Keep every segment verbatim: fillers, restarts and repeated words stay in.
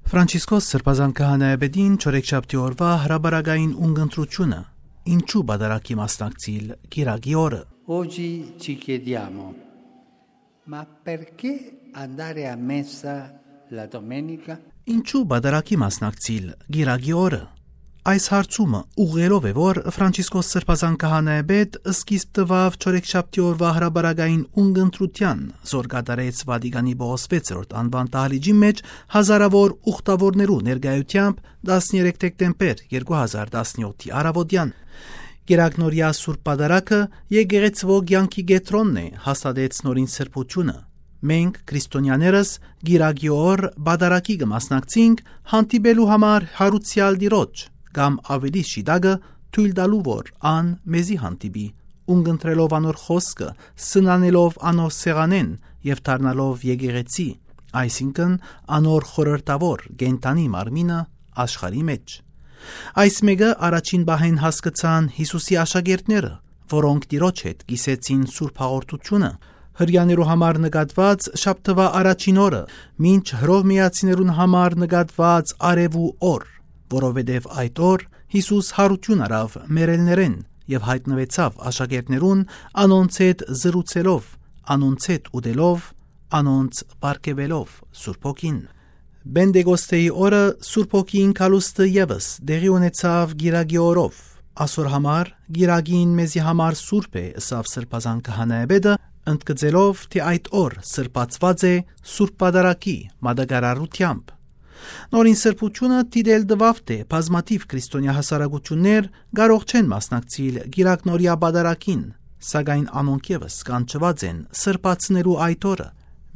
Ֆրանցիսկոս Սրբազան քահանայապետին չորեքշաբթի օրուայ հրապարակային ունգընտրութիւնը, ինչու պատարագի մասնակցիլ կիրակի օրը։ Oggi ci chiediamo: Ma perché andare a messa la domenica? Ինչու պատարագի մասնակցիլ կիրակի օրը։ Այս հարցումը ուղղելով է, որ Ֆրանցիսկոս Սրբազան քահանայապետ սկիզբ տուաւ չորեքշաբթի օրուայ հրապարակային ունգընտրութեան, զոր կատարեց Վատիկանի Պողոս վեցերորդ անուան դահլիճի մէջ հազարաւոր ուխտաւորներու ներկայութեամբ տասներեք դեկտեմբեր երկու հազար տասնեօթի առաւօտեան։ Կիրակնորեայ Սուրբ Պատարագը եկեղեցւոյ կեանքի կեդրոնն է, հաստատեց նորին սրբութիւնը։ Մենք, քրիստոնեաներս, կիրակի օր պատարագի կը մասնակցինք հանդիպելու համար յարուցեալ Տիրոջ, կամ աւելի շիտակը, թոյլ տալու, որ ան մեզի հանդիպի, ունգընտրելով անոր խօսքը, սնանելով անոր սեղանէն եւ դառնալով եկեղեցի, այսինքն՝ անոր խորհրդաւոր կենդանի մարմինը աշխարհի մէջ։ Այս մէկը առաջին պահէն հասկցան Յիսուսի աշակերտները, որոնք Տիրոջ հետ կիսեցին Սուրբ Հաղորդութիւնը, Հրեաներու համար նկատուած շաբթուայ առաջին օրը, մինչ Հռովմէացիներուն համար նկատուած արեւու օր, որովհետեւ այդ օր Յիսուս յարութիւն առաւ մեռելներէն եւ յայտնուեցաւ աշակերտներուն՝ անոնց հետ զրուցելով, անոնց հետ ուտելով, անոնց պարգեւելով Սուրբ Հոգին։ Պենտեկոստեի օրը Սուրբ Հոգին գալուստը եւս տեղի ունեցաւ կիրակի օրով։ Ասոր համար կիրակին մեզի համար սուրբ է, ըսաւ Սրբազան քահանայապետը, ընդգծելով, թէ այդ օր սրբացուած է Սուրբ Պատարագի մատակարարութեամբ։ Նորին սրբութիւնը դիտել տուաւ, թէ բազմաթիւ քրիստոնեայ հասարակութիւններ կարող չեն մասնակցիլ կիրակնորեայ պատարագին, սակայն անոնք եւս կանչուած են սրբացնելու այդ օրը,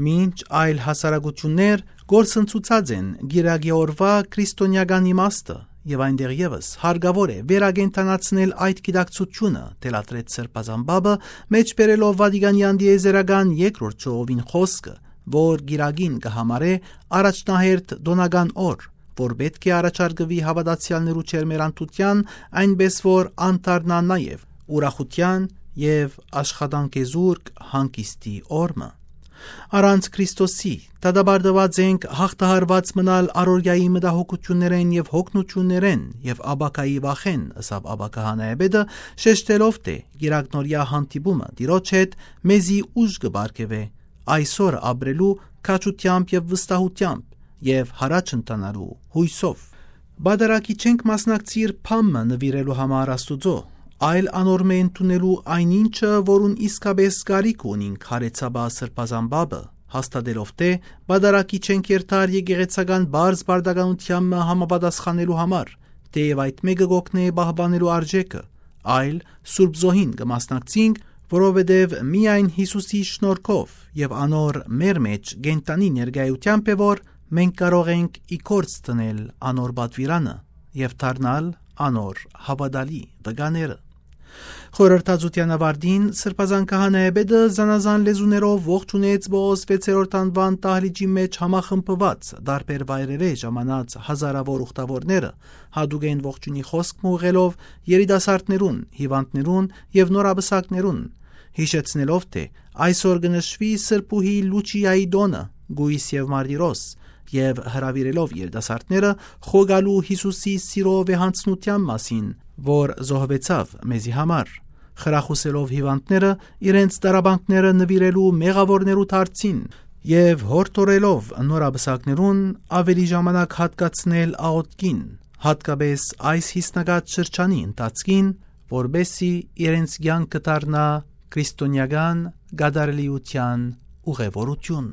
մինչ այլ հասարակութիւններ կորսնցուցած են կիրակի օրուայ քրիստոնեական իմաստը, եւ այնտեղ եւս հարկաւոր է վերակենդանացնել այդ գիտակցութիւնը, թելադրեց Սրբազան Պապը, մէջբերելով Վատիկանեան տիեզերական երկրորդ ժողովին խօսքը, որ կիրակին կը համարէ առաջնահերթ տօնական օր, որ պէտք է առաջարկուի հաւատացեալներու ջերմեռանդութեան, այնպէս որ ան դառնայ նաեւ ուրախութեան եւ աշխատանքեզուրկ հանգիստի օր մը։ Առանց Քրիստոսի դատապարտուած ենք հաղթահարուած մնալ առօրեայի մտահոգութիւններէն եւ յոգնութիւններէն եւ ապագայի վախէն, ըսաւ ապա քահանայապետը, շեշտելով, թէ կիրակնորեայ հանդիպումը Տիրոջ հետ մեզի ուժ կը պարգեւէ այսօր ապրելու քաջութեամբ եւ վստահութեամբ եւ յառաջ ընթանալու յոյսով։ Պատարագի չենք մասնակցիր բան մը նուիրելու համար Աստուծոյ, այլ անոր մէ ընդունելու այն ինչը, որուն իսկապէս կարիք ունինք, յարեցաւ Սրբազան Պապը, հաստատելով, թէ պատարագի չենք երթար եկեղեցական պարզ պարտականութեան մը համապատասխանելու համար, թէեւ այդ մէկը կ'օգնէ պահպանելու արժէքը, այլ Սուրբ Զոհին կը մասնակցինք, որովհետեւ միայն Յիսուսի շնորհքով եւ անոր մեր մէջ կենդանի ներկայութեամբ է, որ մենք կարող ենք ի գործ դնել անոր պատուիրանը եւ դառնալ անոր հաւատալի վկաները։ Խորհրդածութեան աւարտին Սրբազան քահանայապետը զանազան լեզուներով ողջունեց Պողոս վեցերորդ անուան դահլիճի մէջ համախմբուած, տարբեր վայրերէ ժամանած հազարաւոր ուխտաւորները, յատուկէն ողջունի խօսք մը ուղղելով երիտասարդներուն, հիւանդներուն եւ նորապսակներուն, յիշեցնելով, թէ այսօր կը նշուի Սրբուհի Լուչիայի տօնը, կոյս եւ մարտիրոս, եւ հրաւիրելով երիտասարդները խոյ գալու Յիսուսի սիրո վեհանձնութեան մասին, որ զոհուեցաւ մեզի համար, խրախուսելով հիւանդները իրենց տառապանքները նուիրելու մեղաւորներու դարձին եւ յորդորելով նորապսակներուն աւելի ժամանակ յատկացնել աղօթքին, յատկապէս այս յիսնակաց շրջանի ընթացքին, որպէսզի իրենց կեանքը դառնայ քրիստոնեական կատարելիության ուղևորութիւն։